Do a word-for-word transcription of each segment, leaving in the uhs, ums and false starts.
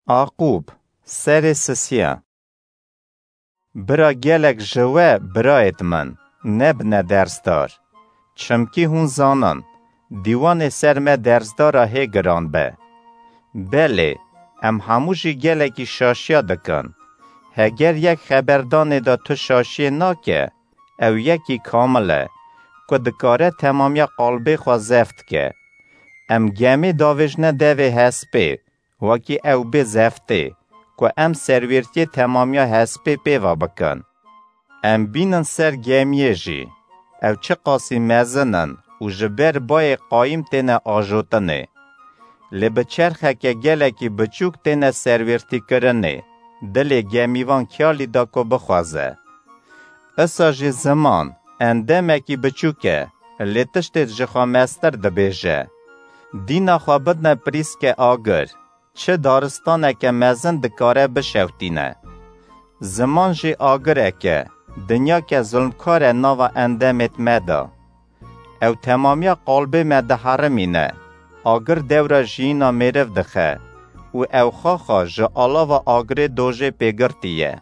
Aqûb, serê sisiya. Bira gelek ji we, birayêt min, nebine dersdar. Çimkî hûn zanin, dîwanê ser me dersdara hê giran be. Belê, em hemû jî gelekî şaşiya dikin. Heger yek xeberdanê de tu şaşiyê nake, ew yekî kamil e, ku dikare temamiya qalbê xwe zeft ke. Em gemê davêjne devê hespê, wekî ew bê zeftê, ku em serwêrtiyê temamiya hespê pêva bikin. Em bînin ser gemiyê jî, ew çiqasî mezin in û ji ber bayê qayîm têne ajotinê. Lê bi çerxeke gelekî biçûk têne serwêrtîkirinê, dilê gemîvan kiyalî da ku bixwaze. Isa jî ziman, endemekî biçûk e, lê tiştê ji xwe mestir dibêje. Dîna xwe bidne pirîske agir, çi daristaneke mezin dikare bişewtîne. Ziman jî agirek e, dinyake zulmkar e nava endemêt me de. Ew temamiya qalbê me diherimîne, agir dewra jiyîna mêriv dixe û ew xaxa ji alava agirê dojê pêgirtî ye.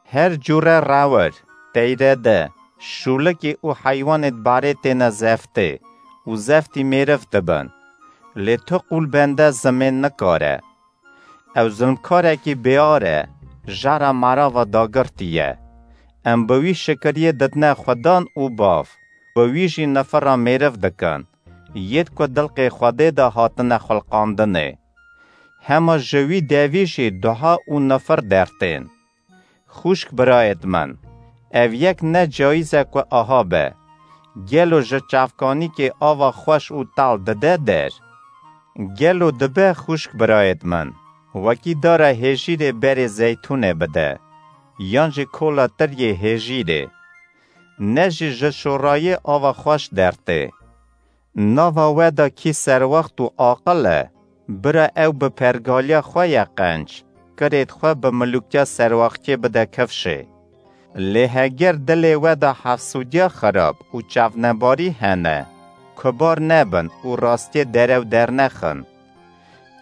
Her cûre rewir, teyrede, şûlikî û heywanêt barê têne zeftê û zeftî mêriv dibin. Lê tu qûl bende zimên nikare. Ew zulmkarekî bêar e, jara merava dagirtî ye. Em bi wî şikiriyê didine Xudan û bav, bi wî jî nifira mêriv dikin, yêd ku dilqê Xwedê de hatine xulqandinê. Hema ji wî devî jî duha û nifir dertên. Xwişk birayêt min, ev yek ne cayîz e ku aha be. Gelo ji çavkanîkê ava xweş û tal dide der? Gelo dibe xwişk birayêt min, wekî dara hêjîrê berê zeytûnê bide, yan jî kola tiryê hêjîrê? Ne jî ji şorayê ava xweş dertê. Nava we de kî serwext û aqil e, bira ew bi pergaliya xwe ye qenc, kirêt xwe bi milûkiya serwextiyê bide kifşê. Lê heger dilê we de hefsûdiya xirab û çavnebarî hene, kubar nebin û rastiyê derew dernexin.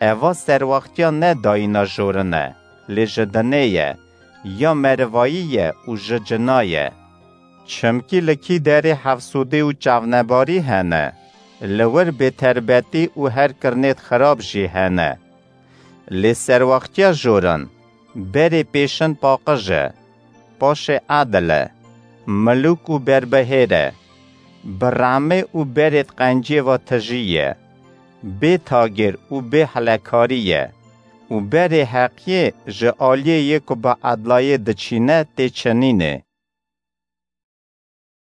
Eva serwextiya ne dayîna jorin e, lê ji dinê ye, ya merivayî ye û ji cina ye. Çimkî li kî derê hefsûdî û çavnebarî hene, li wir bêterbetî û her kirinêt xirab jî hene. Lê serwextiya jorin, berê pêşin paqij e, paşê edil e, milûk û berbihêr e, bi rehmê û berêt qenciyê ve tijî ye, bê tagêr û bê hilekarî ye û berê heqiyê ji aliyê yê ku bi edlayê diçîne tê çinînê.